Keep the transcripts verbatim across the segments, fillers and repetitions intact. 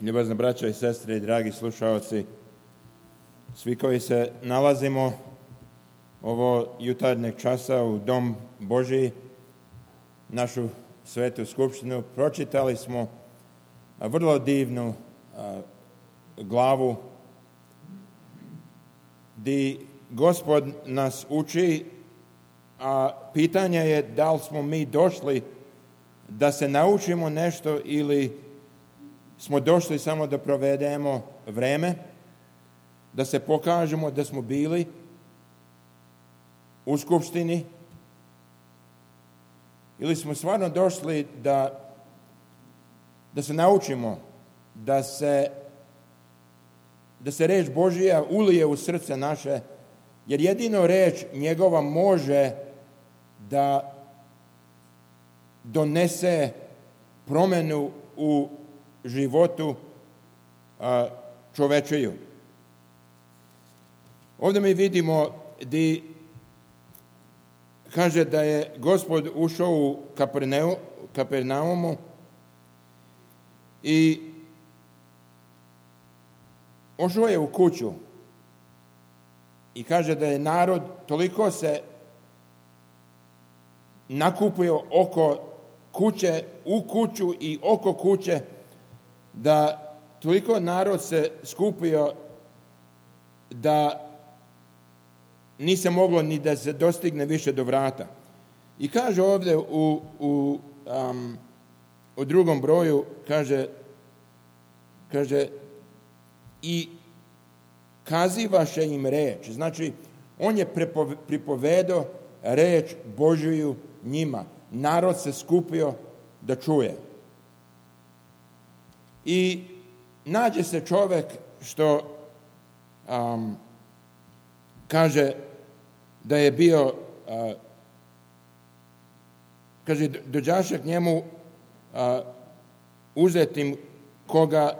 Ljubazne braćo i sestre i dragi slušalci, svi koji se nalazimo ovo jutarnjeg časa u Dom Božiji, našu svetu skupštinu, pročitali smo vrlo divnu a, glavu gdje Gospod nas uči, a pitanje je da li smo mi došli da se naučimo nešto ili smo došli samo da provedemo vreme, da se pokažemo da smo bili u skupštini, ili smo stvarno došli da, da se naučimo, da se, da se reč Božija ulije u srce naše, jer jedino reč njegova može da donese promjenu u životu a, čovečiju. Ovdje mi vidimo gdje kaže da je Gospod ušao u Kaperneu, Kapernaumu i ušao je u kuću i kaže da je narod toliko se nakupio oko kuće, u kuću i oko kuće, da toliko narod se skupio da nije se moglo ni da se dostigne više do vrata. I kaže ovdje u, u, um, u drugom broju, kaže, kaže i kazivaše im reč. Znači, on je pripovedao reč Božiju njima. Narod se skupio da čuje. I nađe se čovjek što um, kaže da je bio, uh, kaže, dođaše k njemu uh, uzetim koga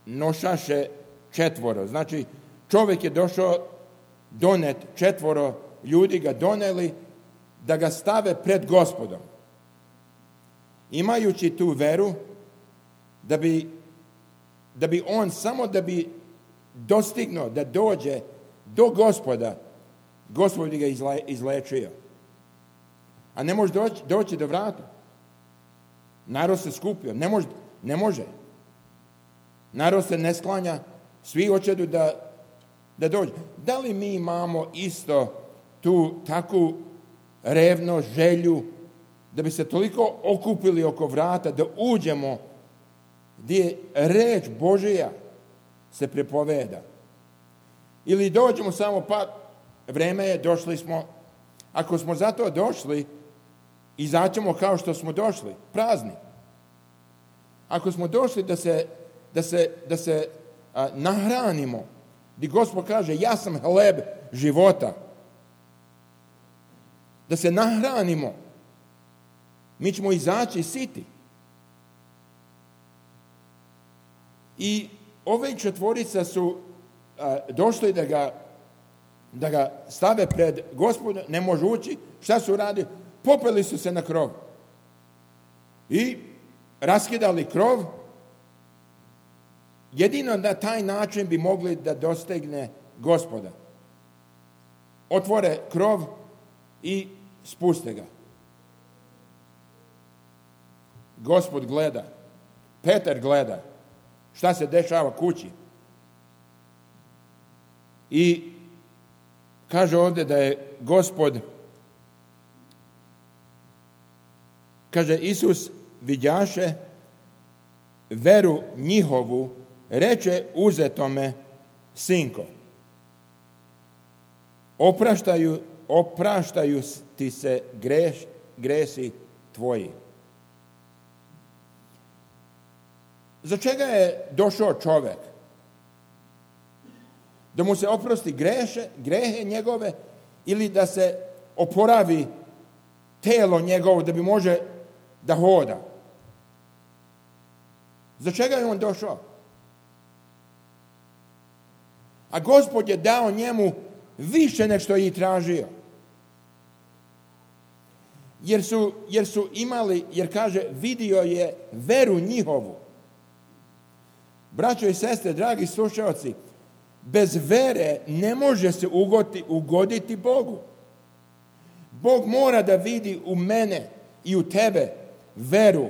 nošaše četvoro. Znači, čovjek je došao donet, četvoro ljudi ga doneli da ga stave pred Gospodom. Imajući tu veru, da bi, da bi on samo da bi dostignuo, da dođe do Gospoda, Gospod bi ga izle, izlečio. A ne može doći, doći do vrata. Narod se skupio. Ne može. Ne može. Narod se ne sklanja. Svi hoće da, da dođe. Da li mi imamo isto tu takvu revnost, želju, da bi se toliko okupili oko vrata, da uđemo gdje reč Božija se prepoveda. Ili dođemo samo, pa vreme je, došli smo. Ako smo zato došli, izaćemo kao što smo došli, prazni. Ako smo došli da se, da se, da se a, nahranimo, gdje Gospod kaže, ja sam hleb života, da se nahranimo, mi ćemo izaći siti. I ove četvorica su a, došli da ga, da ga stave pred Gospoda, ne može ući. Šta su radili? Popeli su se na krov. I raskidali krov. Jedino na taj način bi mogli da dostigne Gospoda. Otvore krov i spuste ga. Gospod gleda. Petar gleda. Šta se dešava kući? I kaže ovdje da je Gospod, kaže Isus vidjaše veru njihovu, reče uzetome, sinko, opraštaju, opraštaju ti se greš, gresi tvoji. Za čega je došao čovjek? Da mu se oprosti greše, grehe njegove, ili da se oporavi telo njegovo da bi može da hoda? Za čega je on došao? A Gospod je dao njemu više nego što je i tražio. Jer su, jer su imali, jer kaže, vidio je veru njihovu. Braćo i sestre, dragi slušalci, bez vere ne može se ugoditi, ugoditi Bogu. Bog mora da vidi u mene i u tebe veru.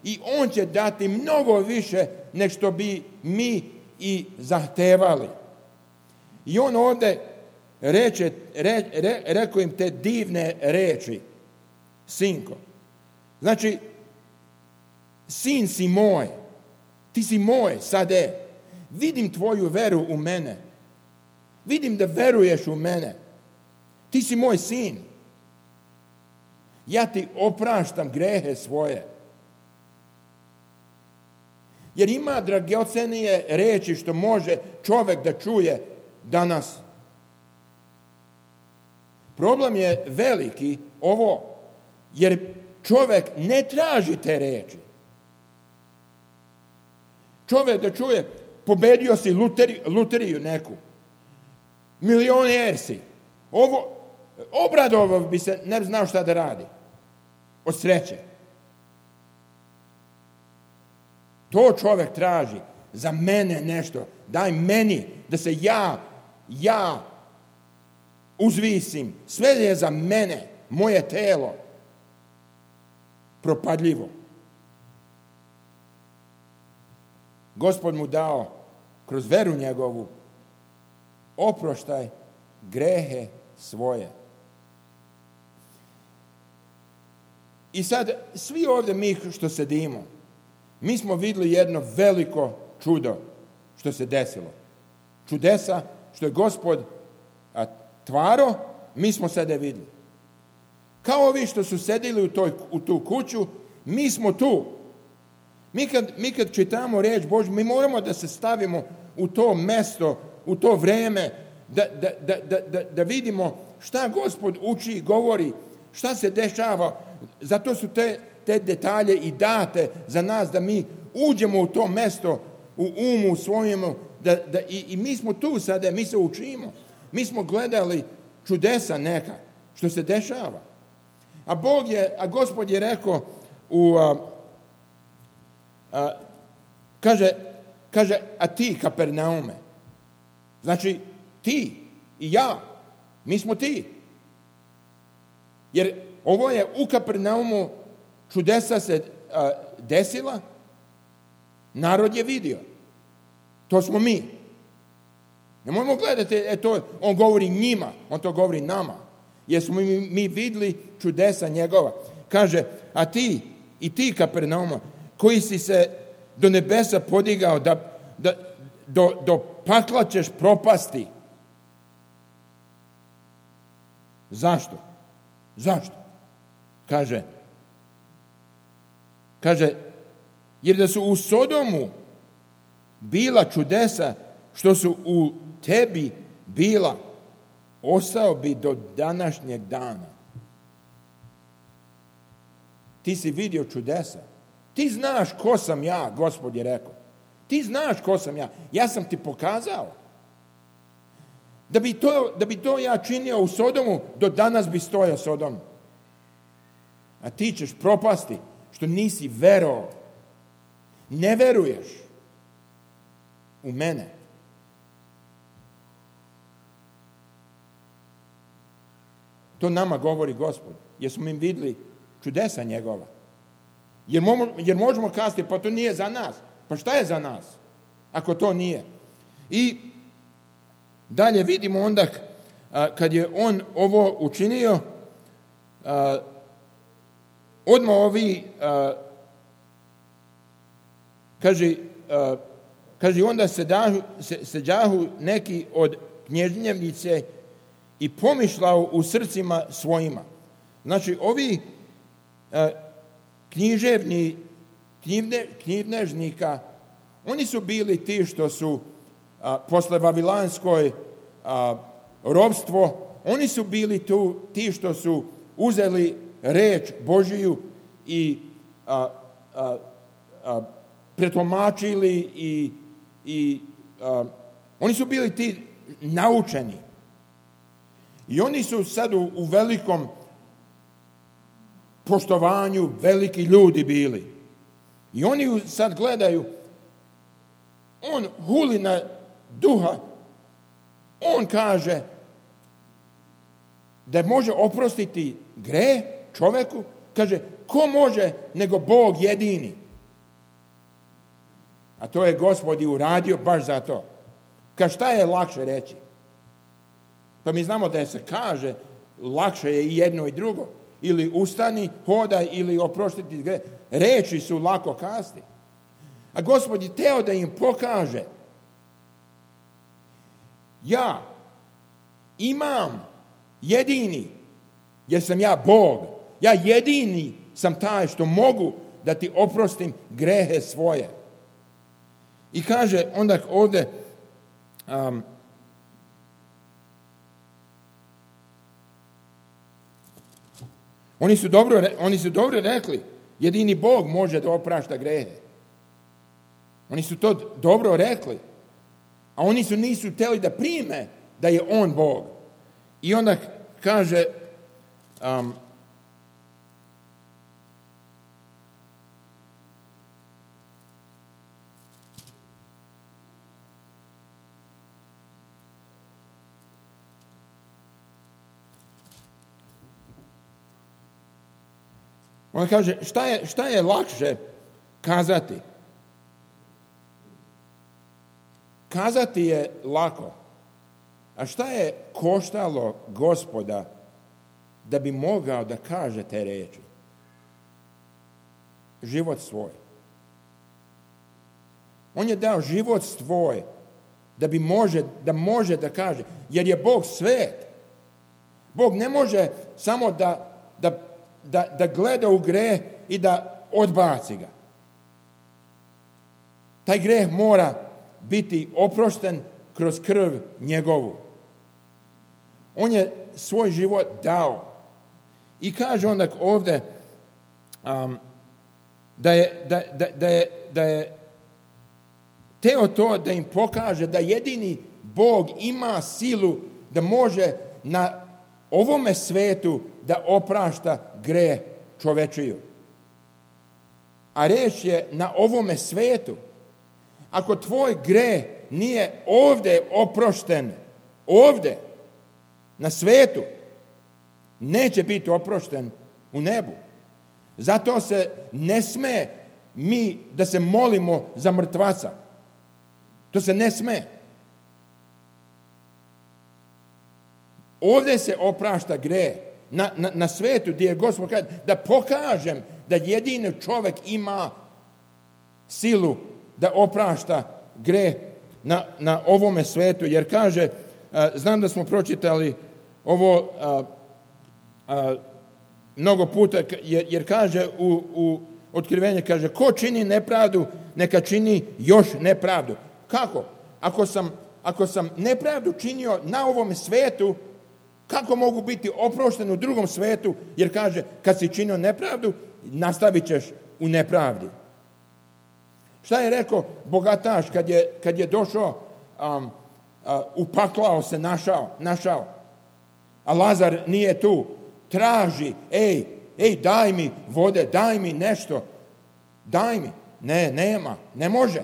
I On će dati mnogo više nego što bi mi i zahtevali. I On ovdje reče, re, re, rekao im te divne reči. Sinko. Znači, sin si moj. Ti si moj, sad je. Vidim tvoju veru u mene. Vidim da veruješ u mene. Ti si moj sin. Ja ti opraštam grehe svoje. Jer ima dragocjenije reči što može čovjek da čuje danas. Problem je veliki ovo, jer čovjek ne traži te reči. Čovjek da čuje, pobedio si luteri, luteriju neku, milioner si, ovo, obradovao bi se, ne bi znao šta da radi, od sreće. To čovjek traži, za mene nešto, daj meni, da se ja, ja uzvisim, sve je za mene, moje telo, propadljivo. Gospod mu dao, kroz veru njegovu, oproštaj grehe svoje. I sad, svi ovdje mi što sedimo, mi smo vidjeli jedno veliko čudo što se desilo. Čudesa što je Gospod a, tvaro, mi smo sada vidjeli. Kao ovi što su sedili u, toj, u tu kuću, mi smo tu. Mi kad, mi kad čitamo riječ Božju, mi moramo da se stavimo u to mjesto, u to vrijeme, da, da, da, da, da vidimo šta Gospod uči i govori, šta se dešava. Zato su te, te detalje i date za nas da mi uđemo u to mjesto, u umu svojemu, da, da, i, i mi smo tu sada, mi se učimo. Mi smo gledali čudesa neka, što se dešava. A Bog je, a Gospod je rekao u... A, a, kaže, kaže, a ti, Kapernaume, znači ti i ja, mi smo ti. Jer ovo je u Kapernaumu čudesa se a, desila, narod je vidio. To smo mi. Ne možemo gledati, e, to, on govori njima, on to govori nama. Jer smo mi, mi vidjeli čudesa njegova. Kaže, a ti i ti, Kapernauma, koji si se do nebesa podigao, da, da, do, do pakla ćeš propasti. Zašto? Zašto? Kaže, kaže, jer da su u Sodomu bila čudesa što su u tebi bila, ostao bi do današnjeg dana. Ti si vidio čudesa. Ti znaš ko sam ja, Gospod je rekao. Ti znaš ko sam ja. Ja sam ti pokazao. Da bi to, da bi to ja činio u Sodomu, do danas bi stojao Sodom. A ti ćeš propasti što nisi verovao. Ne veruješ u mene. To nama govori Gospod, jer smo im vidjeli čudesa njegova. Jer, mo, jer možemo kazati, pa to nije za nas. Pa šta je za nas, ako to nije? I dalje vidimo onda, a, kad je on ovo učinio, a, odmah ovi, a, kaže, a, kaže, onda sedahu, se, seđahu neki od knježnjevnice i pomišljao u srcima svojima. Znači, ovi a, književni, knjivne, knjivnežnika, oni su bili ti što su a, posle Vavilanskoj a, robstvo, oni su bili tu ti što su uzeli reč Božiju i a, a, a, pretumačili i, i a, oni su bili ti naučeni. I oni su sad u, u velikom poštovanju, veliki ljudi bili. I oni sad gledaju, on huli na duha, on kaže da može oprostiti greh čoveku, kaže, ko može nego Bog jedini? A to je Gospod i uradio baš za to. Kaže, šta je lakše reći? Pa mi znamo da se kaže, lakše je i jedno i drugo. Ili ustani, hodaj, ili oprostiti greh. Reči su lako kazati. A Gospod je teo da im pokaže, ja imam jedini, jer sam ja Bog, ja jedini sam taj što mogu da ti oprostim grehe svoje. I kaže onda ovdje, um, oni su dobro, oni su dobro rekli, jedini Bog može da oprašta grehe. Oni su to dobro rekli, a oni su nisu htjeli da prime da je on Bog. I onda kaže, um, on kaže, šta je, šta je lakše kazati? Kazati je lako. A šta je koštalo Gospoda da bi mogao da kaže te reči? Život svoj. On je dao život svoj da bi može da, može da kaže, jer je Bog svet. Bog ne može samo da, da, da, da gleda u greh i da odbaci ga. Taj greh mora biti oprošten kroz krv njegovu. On je svoj život dao. I kaže onda ovdje um, da, je, da, da, da, je, da je teo to da im pokaže da jedini Bog ima silu da može na ovome svetu da oprašta greh čovečiju. A reč je na ovome svetu. Ako tvoj greh nije ovdje oprošten, ovdje, na svetu, neće biti oprošten u nebu. Zato se ne sme mi da se molimo za mrtvaca. To se ne sme. Ovdje se oprašta greh. Na, na, na svetu gdje je Gospod kaže da pokažem da jedini čovjek ima silu da oprašta greh na, na ovome svetu. Jer kaže, a, znam da smo pročitali ovo a, a, mnogo puta, jer, jer kaže u, u otkrivenju, kaže, ko čini nepravdu, neka čini još nepravdu. Kako? Ako sam, ako sam nepravdu činio na ovome svetu, kako mogu biti oprošten u drugom svetu? Jer kaže, kad si činio nepravdu, nastavit ćeš u nepravdi. Šta je rekao bogataš kad je, kad je došao, um, uh, upaklao se, našao, našao, a Lazar nije tu, traži, ej, ej, daj mi vode, daj mi nešto, daj mi. Ne, nema, ne može.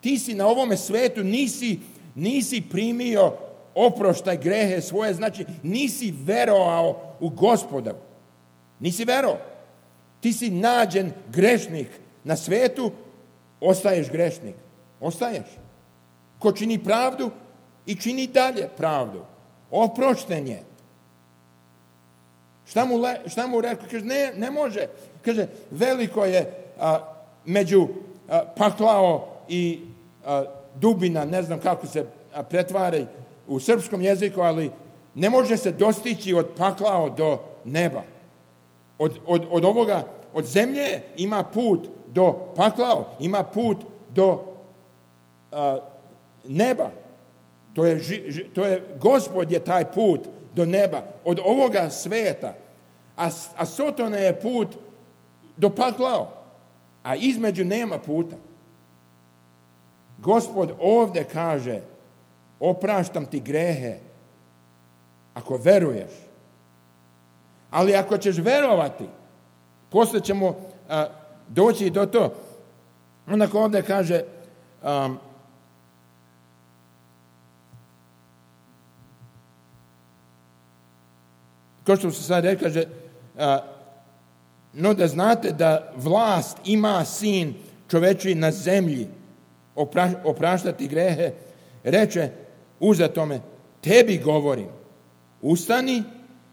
Ti si na ovome svetu, nisi, nisi primio oproštaj grehe svoje, znači nisi verovao u Gospoda. Nisi verovao. Ti si nađen grešnik na svetu, ostaješ grešnik. Ostaješ. Ko čini pravdu i čini dalje pravdu. Oprošten je. Šta mu, le, šta mu rekao? Kaže, ne, ne može. Kaže, veliko je a, među a, paklao i a, dubina, ne znam kako se a, pretvari u srpskom jeziku, ali ne može se dostići od paklao do neba. Od, od, od ovoga, od zemlje ima put do paklao, ima put do a, neba. To je, to je, Gospod je taj put do neba, od ovoga sveta. A, a Sotona je put do paklao, a između nema puta. Gospod ovdje kaže, opraštam ti grehe ako veruješ. Ali ako ćeš verovati, poslije ćemo a, doći do to. Onako ovdje kaže, um, kao što se sad rekao, kaže, a, no da znate da vlast ima sin čovečiji na zemlji opra, opraštati grehe, reče uzatome, tebi govorim, ustani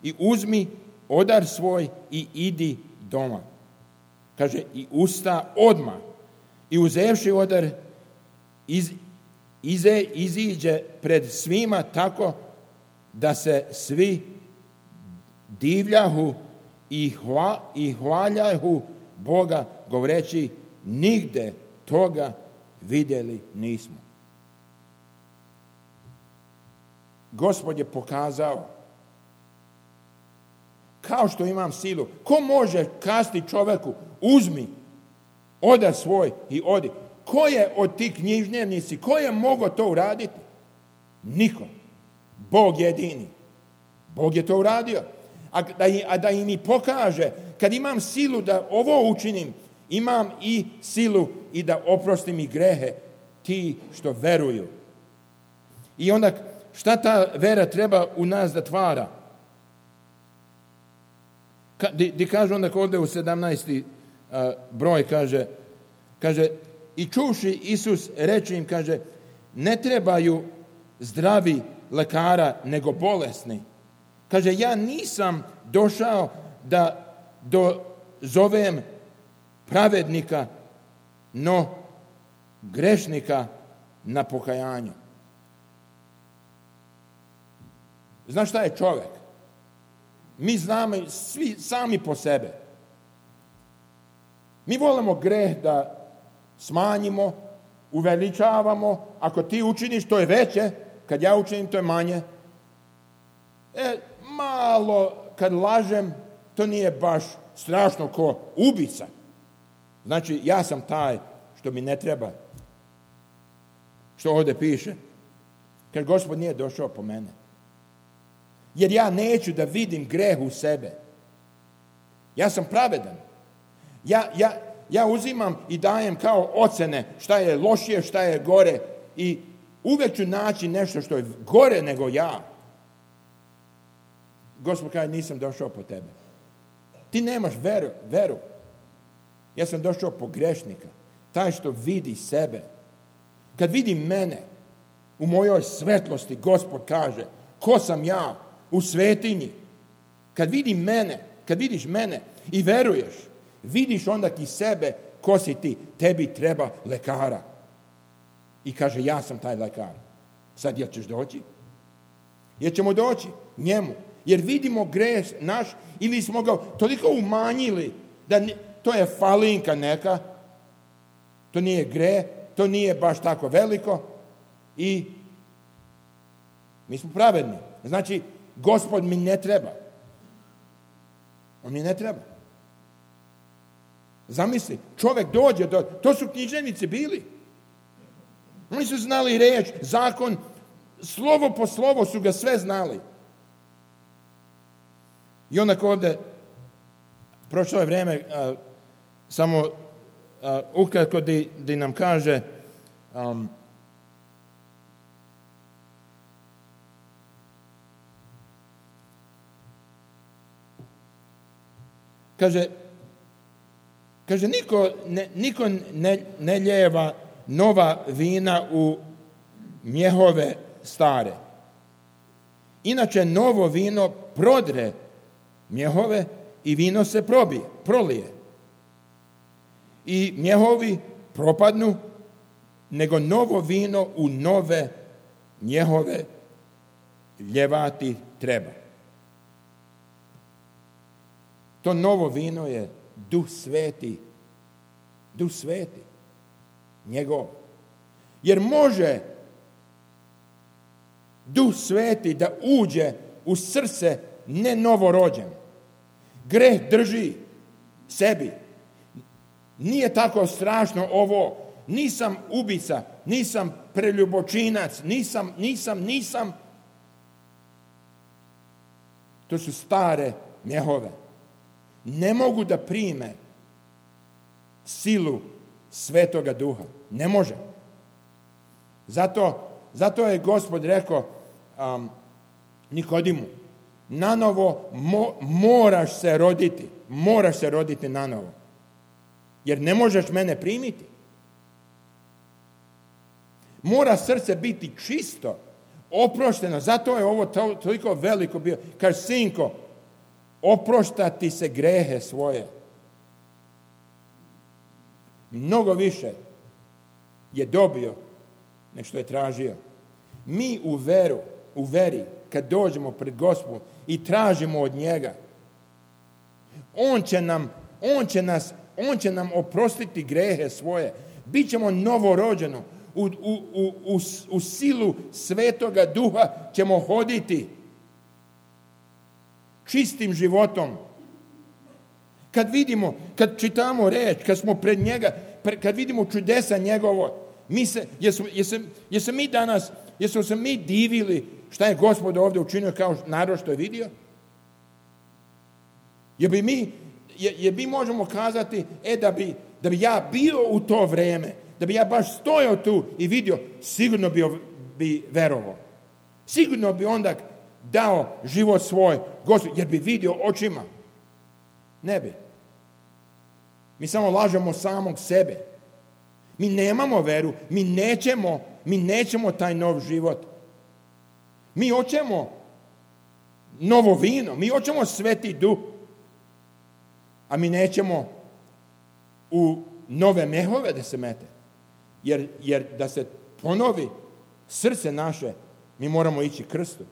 i uzmi odar svoj i idi doma. Kaže, i usta odmah. I uzevši odar, iz, ize, iziđe pred svima tako da se svi divljahu i, hva, i hvaljahu Boga, govoreći, nigde toga vidjeli nismo. Gospod je pokazao, kao što imam silu, ko može kasti čoveku, uzmi odar svoj i odi. Ko je od tih književnici, ko je mogao to uraditi? Niko. Bog jedini. Bog je to uradio. A da, a da im i pokaže, kad imam silu da ovo učinim, imam i silu i da oprostim i grehe ti što veruju. I onda šta ta vera treba u nas da tvara? Di, di kaže onda ovdje u sedamnaesti a, broj, kaže, kaže, i čuši Isus reče im, kaže, ne trebaju zdravi lekara, nego bolesni. Kaže, ja nisam došao da dozovem pravednika, no grešnika na pokajanju. Znaš šta je čovjek? Mi znamo svi sami po sebe. Mi volimo greh da smanjimo, uveličavamo. Ako ti učiniš, to je veće. Kad ja učinim, to je manje. E, malo, kad lažem, to nije baš strašno ko ubica. Znači, ja sam taj što mi ne treba. Što ovdje piše. Kad Gospod nije došao po mene. Jer ja neću da vidim greh u sebe. Ja sam pravedan. Ja, ja, ja uzimam i dajem kao ocene šta je lošije, šta je gore. I uvijek ću naći nešto što je gore nego ja. Gospod kaže, nisam došao po tebe. Ti nemaš veru. veru. Ja sam došao po grešnika. Taj što vidi sebe. Kad vidi mene u mojoj svetlosti, Gospod kaže, ko sam ja u svetinji? Kad vidi mene, kad vidiš mene i veruješ, vidiš onda ti sebe, ko si ti, tebi treba lekara. I kaže, ja sam taj lekar. Sad, jel ćeš doći? Jer ćemo doći njemu. Jer vidimo greh naš ili smo ga toliko umanjili da ne, to je falinka neka, to nije greh, to nije baš tako veliko i mi smo pravedni. Znači, Gospod mi ne treba. On mi ne treba. Zamisli, čovjek dođe, do, to su književnici bili. Oni su znali reč, zakon, slovo po slovo su ga sve znali. I onda ovdje, prošlo je vrijeme, a, samo a, ukratko di, di nam kaže, um, kaže, kaže niko, ne, niko ne, ne ljeva nova vina u mjehove stare. Inače, novo vino prodre mjehove i vino se probije, prolije. I mjehovi propadnu, nego novo vino u nove mjehove ljevati treba. To novo vino je Duh Sveti. Duh Sveti. Njegov. Jer može Duh Sveti da uđe u srce ne novorođen. Greh drži sebi. Nije tako strašno ovo. Nisam ubica, nisam preljubočinac, nisam, nisam, nisam. To su stare mjehove. Ne mogu da prime silu Svetoga Duha. Ne može. Zato, zato je Gospod rekao um, Nikodimu, nanovo mo, moraš se roditi. Moraš se roditi nanovo. Jer ne možeš mene primiti. Mora srce biti čisto, oprošteno. Zato je ovo to, toliko veliko bio. Kaže, sinko, oproštati se grehe svoje. Mnogo više je dobio nego što je tražio. Mi u veru, u veri, kad dođemo pred Gospodom i tražimo od njega, on će nam, on će nas, on će nam oprostiti grehe svoje. Bićemo novorođeno. U, u, u, u, u silu Svetoga Duha ćemo hoditi čistim životom. Kad vidimo, kad čitamo reč, kad smo pred njega, kad vidimo čudesa njegovo, mi se, jesu, jesu, jesu mi danas, jesu se mi divili šta je Gospod ovdje učinio kao narod što je vidio? Jer bi mi, jer mi možemo kazati, e da bi, da bi ja bio u to vrijeme, da bi ja baš stojao tu i vidio, sigurno bi, bi verovao. Sigurno bi onda dao život svoj Gospod, jer bi vidio očima. Ne bi. Mi samo lažemo samog sebe. Mi nemamo veru, mi nećemo, mi nećemo taj nov život. Mi hoćemo novo vino, mi hoćemo Sveti Duh, a mi nećemo u nove mehove da se mete. Jer, jer da se ponovi srce naše, mi moramo ići krstu.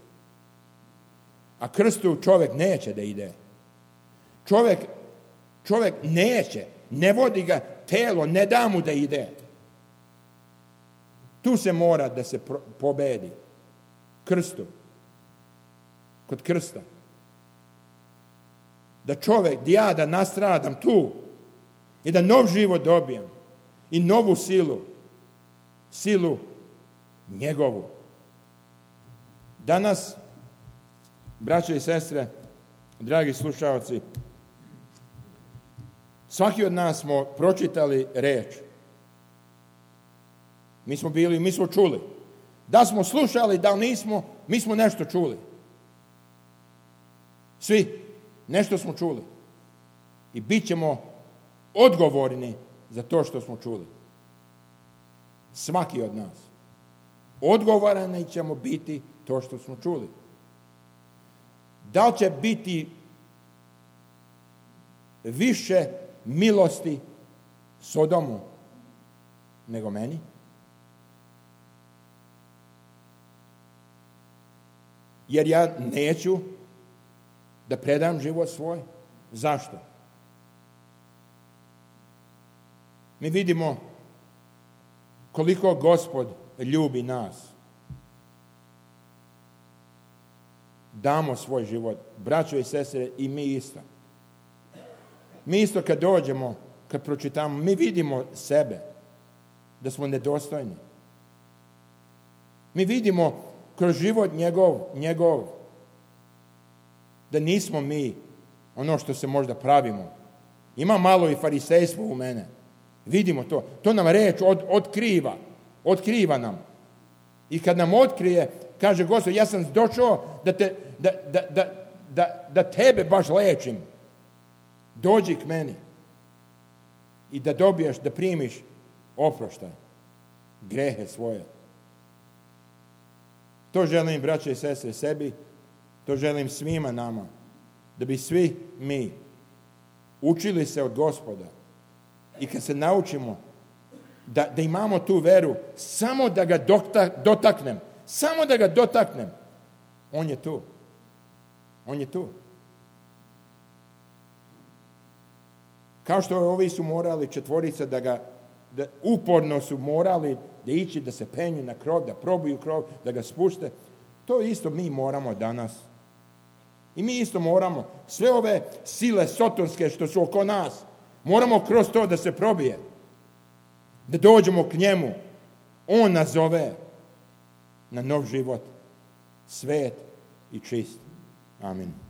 A krstu čovjek neće da ide. Čovjek, čovjek neće, ne vodi ga telo, ne da mu da ide. Tu se mora da se pro, pobedi. Krstu. Kod krsta. Da čovjek, da ja da nastradam tu i da nov život dobijem i novu silu. Silu njegovu. Danas, braće i sestre, dragi slušalci, svaki od nas smo pročitali reč. Mi smo bili, mi smo čuli. Da smo slušali, da nismo, mi smo nešto čuli. Svi, nešto smo čuli. I bit ćemo odgovorni za to što smo čuli. Svaki od nas. Odgovorani ćemo biti to što smo čuli. Da li će biti više milosti Sodomu nego meni? Jer ja neću da predam život svoj. Zašto? Mi vidimo koliko Gospod ljubi nas. Damo svoj život. Braćo i sestre, i mi isto. Mi isto kad dođemo, kad pročitamo, mi vidimo sebe, da smo nedostojni. Mi vidimo kroz život njegov, njegov, da nismo mi ono što se možda pravimo. Ima malo i farisejstvo u mene. Vidimo to. To nam reč od, otkriva. Otkriva nam. I kad nam otkrije, kaže Gospod, ja sam došao da, te, da, da, da, da, da tebe baš lečim. Dođi k meni. I da dobiješ, da primiš oproštaj. Grehe svoje. To želim, braće i sestre, sebi. To želim svima nama. Da bi svi mi učili se od Gospoda. I kad se naučimo da, da imamo tu veru, samo da ga dotaknem, samo da ga dotaknem, on je tu. On je tu. Kao što ovi su morali četvorica da ga, da uporno su morali da ići, da se penju na krov, da probiju krov, da ga spušte, to isto mi moramo danas. I mi isto moramo, sve ove sile sotonske što su oko nas, moramo kroz to da se probije. Da dođemo k njemu. On nas zove na nov život. Svet i čist. Amin.